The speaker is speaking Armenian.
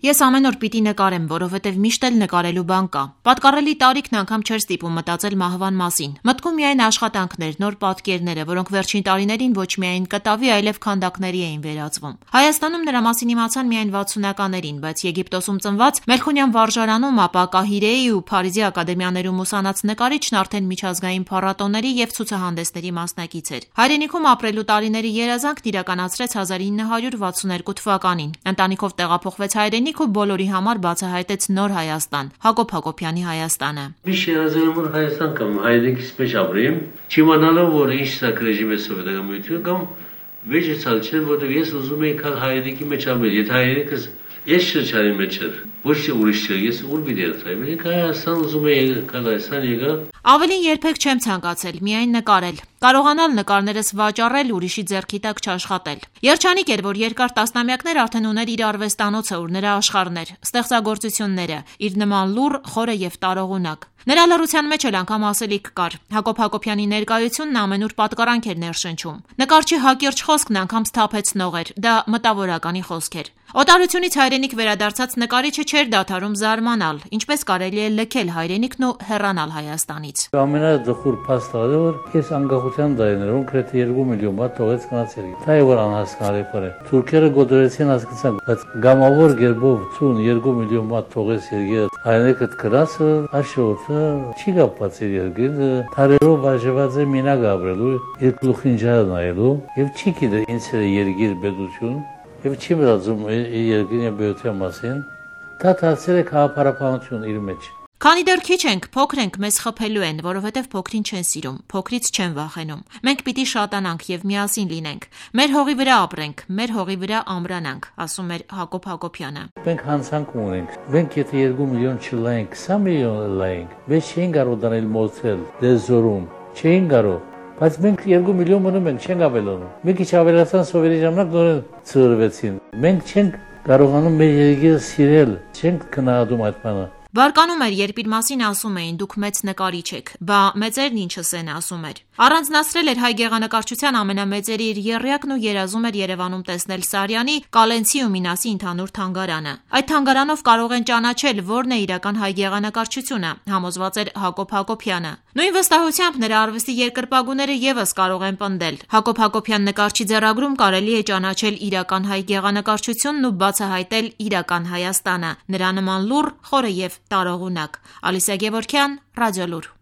Ես ամեն օր պիտի նկարեմ, որովհետև միշտ էլ նկարելու բան կա։ Պատկառելի տարիքն անգամ չէր ստիպում մտածել մահվան մասին։ Մտքում միայն աշխատանքներ, նոր պատկերները, որոնք վերջին տարիներին ոչ միայն կտավի, այլև քանդակների էին վերածվում։ Հայաստանում նրա մասին իմացան միայն 60-ականներին, բայց Եգիպտոսում ծնված Մելքոնյան վարժարանում, ապա Կահիրեի ու Փարիզի ակադեմիաներում ուսանած նկարիչն արդեն միջազգային փառատոների եւ ցուցահանդեսների մասնակից էր։ Հայրենիքում ապրելու տարիների երազանքն իրականացրեց 1962 թվականին։ Ընտանիքով տեղափոխվեց հայրենիք ու բոլորի համար բացահայտեց նոր Հայաստան, Հակոբ Հակոբյանի Հայաստանը։ Միշտ երազել եմ Հայաստան կամ հայրենիքից մեջ ապրեմ, չիմանալով որ ինչ սա ռեժիմի սովետական միություն կամ վեճեցալ չէ, որտեղ ես ուզում եի քալ հայրենիքի մեջ ապրել, եթե հայրենիքս ես շրջանի մեջ էր, ոչ թե ուրիշ չէ, ես ուր պիտի երթայեմ, Հայաստան ուզում եի քալ Հայաստան եկա։ Ավելին երբեք չեմ ցանկացել, միայն նկարել։ Կարողանալ նկարներս վաճառել, ուրիշի ձեռքի տակ չաշխատել։ Երջանիկ էր, որ երկար տասնամյակներ արդեն ուներ իր արվեստանոցը, ուր նրա աշխարհն էր, ստեղծագործությունները, իր նման լուռ, խորը եւ տարողունակ։ Նրա լռության մեջ էլ անգամ ասելիք կար։ Հակոբ Հակոբյանի ներկայությունն ամենուր պատկառանք էր ներշնչում։ Նկարչի հակիրճ խոսքն անգամ սթափեցնող էր, դա մտավորականի խոսք էր։ Օտարությունից հայրենիք վերադարձած նկարիչը չէր դադարում զարմանալ, ինչպես կարելի է լքել հայրենիքն ու հեռանալ Հայաստանից։ Ամենադխուր փաստը որ ես անկախության տարիներում գրեթե 2 միլիոն բան թողեց գնացել։ Դա է որ անհասկանալի բան է։ Թուրքերը գոդորեցին հասկացան, բայց գամավոր գերբով 2 միլիոն բան թողեց երկիրը։ Հայրենիքը գրասը, աշխորհը չի կապված իր երկիրը, թարերով բաժանված է մենակ ապրելու, իր գլուխին ջահ նայելու եւ չի գիտե ինչ է երկիր պետություն։ Եվ չի մտածում երկրի բյուրության մասին, դա դարձել է քաղաքապարապանություն իր մեջ։ Քանի դեռ քիչ ենք, փոքր ենք, մեզ խփելու են, որովհետև փոքրին չեն սիրում, փոքրից չեն վախենում։ Մենք պիտի շատանանք եւ միասին լինենք։ Մեր հողի վրա ապրենք, մեր հողի վրա ամրանանք, ասում էր Հակոբ Հակոբյանը։ Մենք հանցանք ունենք։ Մենք եթե 2 միլիոն չլայենք, 20 միլիոն լայենք, մենք չենք կարող դնել մոծել, դեզորում, չենք կարող։ Բայց մենք 2 միլիոն մնում ենք, չենք ավելանում։ Մի քիչ ավելացան սովետի ժամանակ նորեն ծրվեցին։ Մենք չենք կարողանում մեր երկիրը սիրել, չենք քննադում այդ բանը։ Բարկանում էր, երբ իր մասին ասում էին դուք մեծ նկարիչ եք, բա մեծերն ինչս են ասում էր։ Առանձնացրել էր հայ գեղանկարչության ամենամեծերի իր եռյակն ու երազում էր Երևանում տեսնել Սարյանի, Կալենցի ու Մինասի ընդհանուր թանգարանը։ Այդ թանգարանով կարող են ճանաչել որն է իրական հայ գեղանկարչությունը, համոզված էր Հակոբ Հակոբյանը։ Նույն վստահությամբ նրա արվեստի երկրպագուները եւս կարող են պնդել։ Հակոբ Հակոբյան նկարչի ձեռագրում կարելի է ճանաչել իրական հայ գեղանկարչությունն ու բացահայտել իրական Հայաստանը, նրա նման լուռ, խորը եւ տարողունակ։ Ալիսա Գևորգյան, Ռադիոլուր։